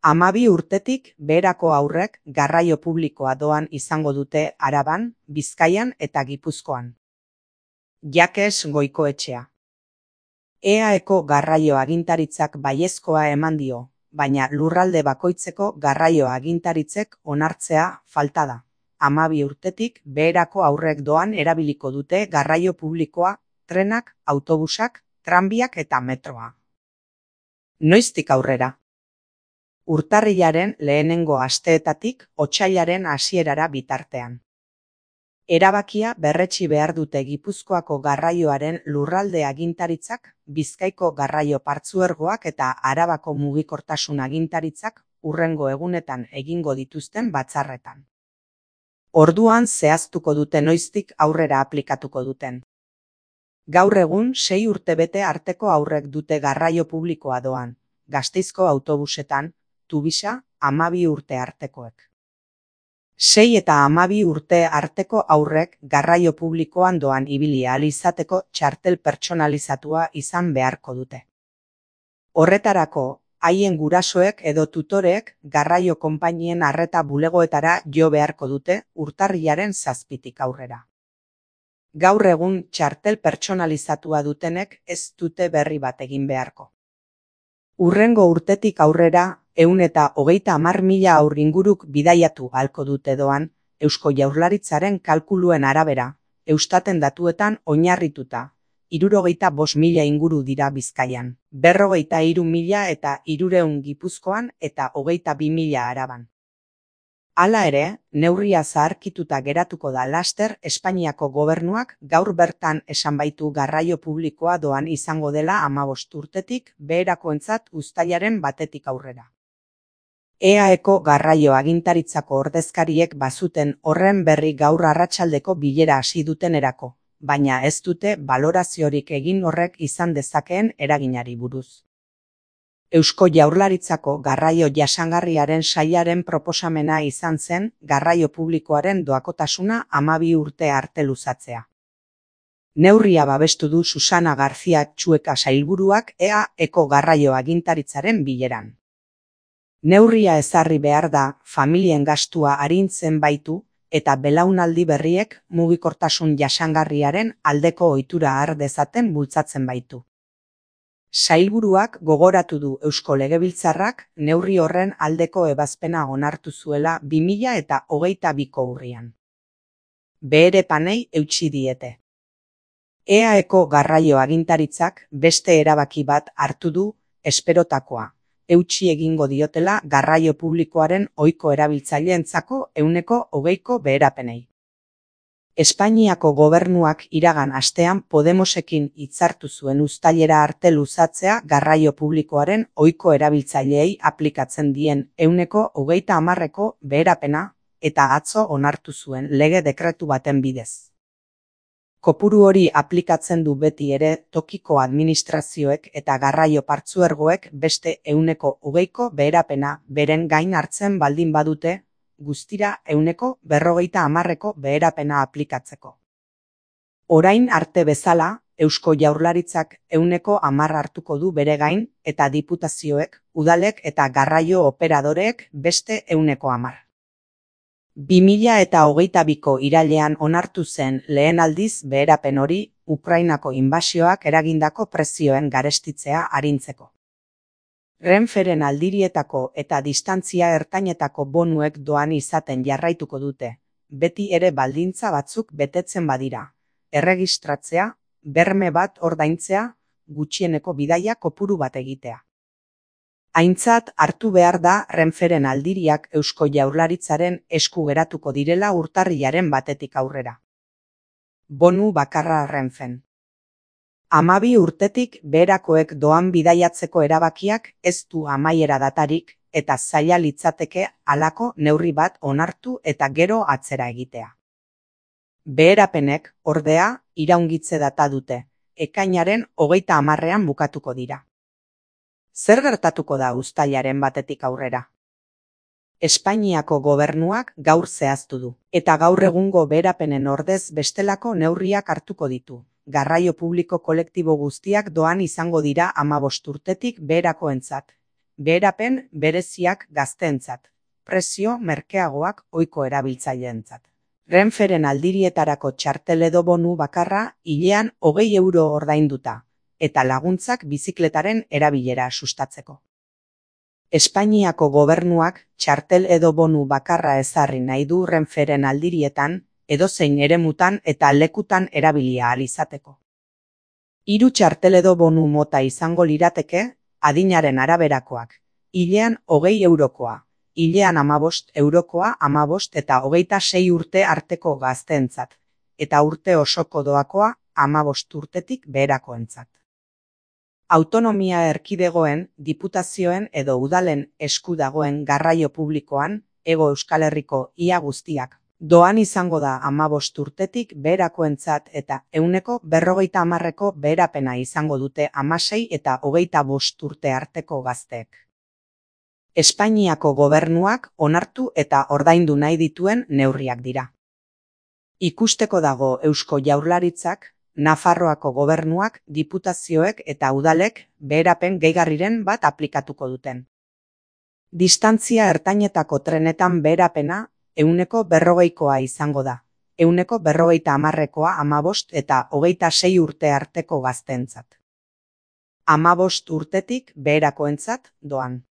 12 urtetik beherako haurrek garraio publikoa doan izango dute Araban, Bizkaian eta Gipuzkoan. Jakes Goikoetxea. EAeko garraio agintaritzak baiezkoa eman dio, baina lurralde bakoitzeko garraio agintaritzek onartzea falta da. 12 urtetik beherako haurrek doan erabiliko dute garraio publikoa, trenak, autobusak, tranbiak eta metroa. Noiztik aurrera? Urtarrilaren lehenengo asteetatik otsailaren hasierara bitartean. Erabakia berretsi behar dute Gipuzkoako garraioaren lurralde agintaritzak, Bizkaiko garraio partzuergoak eta Arabako mugikortasun agintaritzak hurrengo egunetan egingo dituzten batzarretan. Orduan zehaztuko dute noiztik aurrera aplikatuko duten. Gaur egun 6 urtebete arteko haurrek dute garraio publikoa doan, Gasteizko autobusetan, Tubisa, 12 urte artekoek. 6 eta 12 urte arteko haurrek garraio publikoan doan ibili ahal izateko txartel pertsonalizatua izan beharko dute. Horretarako, haien gurasoek edo tutoreek garraio konpainien arreta bulegoetara jo beharko dute urtarrilaren 7tik aurrera. Gaur egun txartel pertsonalizatua dutenek ez dute berri bat egin beharko. Hurrengo urtetik aurrera 130.000 haur inguruk bidaiatu ahalko dute doan, Eusko Jaurlaritzaren kalkuluen arabera, Eustaten datuetan oinarrituta, 65.000 inguru dira Bizkaian, 43.000 eta 300 Gipuzkoan eta 22.000 Araban. Hala ere, neurria zaharkituta geratuko da laster Espainiako gobernuak gaur bertan esan baitu garraio publikoa doan izango dela 15 urtetik beherakoentzat uztailaren 1tik aurrera. EAeko garraio agintaritzako ordezkariek bazuten horren berri gaur arratsaldeko bilera hasi dutenerako, baina ez dute baloraziorik egin horrek izan dezakeen eraginari buruz. Eusko Jaurlaritzako garraio jasangarriaren sailaren proposamena izan zen garraio publikoaren doakotasuna 12 urte arte luzatzea. Neurria babestu du Susana García Txueka sailburuak EAeko garraio agintaritzaren bileran. Neurria ezarri behar da familien gastua arintzen baitu eta belaunaldi berriek mugikortasun jasangarriaren aldeko ohitura har dezaten bultzatzen baitu. Sailburuak gogoratu du Eusko Legebiltzarrak neurri horren aldeko ebazpena onartu zuela 2022ko urrian. Beherepanei eutsi diete. EAeko garraio agintaritzak beste erabaki bat hartu du esperotakoa, eutsi egingo diotela garraio publikoaren ohiko erabiltzaileentzako 20%ko beherapenei. Espainiako gobernuak iragan astean Podemosekin hitzartu zuen uztailera arte luzatzea garraio publikoaren ohiko erabiltzaileei aplikatzen dien 20%ko beherapena eta atzo onartu zuen lege dekretu baten bidez. Kopuru hori aplikatzen du beti ere tokiko administrazioek eta garraio partzuergoek beste 20%ko beherapena beren gain hartzen baldin badute, guztira 50%ko beherapena aplikatzeko. Orain arte bezala, Eusko Jaurlaritzak 10% hartuko du bere gain eta diputazioek, udalek eta garraio operadoreek beste 10%. 2022ko irailean onartu zen lehen aldiz beherapen hori Ukrainako inbasioak eragindako prezioen garestitzea arintzeko. Renferen aldirietako eta distantzia ertainetako bonuek doan izaten jarraituko dute, beti ere baldintza batzuk betetzen badira, erregistratzea, berme bat ordaintzea, gutxieneko bidaia kopuru bat egitea. Aintzat hartu behar da Renferen aldiriak Eusko Jaurlaritzaren esku geratuko direla urtarrilaren 1tik aurrera. Bonu bakarra Renfen. 12 urtetik beherakoek doan bidaiatzeko erabakiak ez du amaiera datarik eta zaila litzateke halako neurri bat onartu eta gero atzera egitea. Beherapenek, ordea, iraungitze data dute, ekainaren 30ean bukatuko dira. Zer gertatuko da uztailaren 1tik aurrera? Espainiako gobernuak gaur zehaztu du, eta gaur egungo beherapenen ordez bestelako neurriak hartuko ditu. Garraio publiko kolektibo guztiak doan izango dira 15 urtetik beherakoentzat, beherapen bereziak gazteentzat, prezio merkeagoak ohiko erabiltzaileentzat. Renferen aldirietarako txartel edo bonu bakarra hilean 20 euro ordainduta, eta laguntzak bizikletaren erabilera sustatzeko. Espainiako gobernuak txartel edo bonu bakarra ezarri nahi du Renferen aldirietan, edozein eremutan eta lekutan erabilia ahal izateko. 3 txartel edo bonu mota izango lirateke, adinaren araberakoak, hilean 20 eurokoa, hilean 15 eurokoa, 15 eta 26 urte arteko gazteentzat, eta urte osoko doakoa 15 urtetik beherakoentzat. Autonomia erkidegoen, diputazioen edo udalen esku dagoen garraio publikoan, Hego Euskal Herriko ia guztiak, doan izango da 15 urtetik beherakoentzat eta 50% beherapena izango dute 16 eta 25 urte arteko gazteek. Espainiako gobernuak onartu eta ordaindu nahi dituen neurriak dira. Ikusteko dago Eusko Jaurlaritzak, Nafarroako gobernuak, diputazioek eta udalek beherapen gehigarriren bat aplikatuko duten. Distantzia ertainetako trenetan beherapena 140koa izango da, 150koa 15 eta 26 urte arteko gazteentzat. 15 urtetik beherakoentzat doan.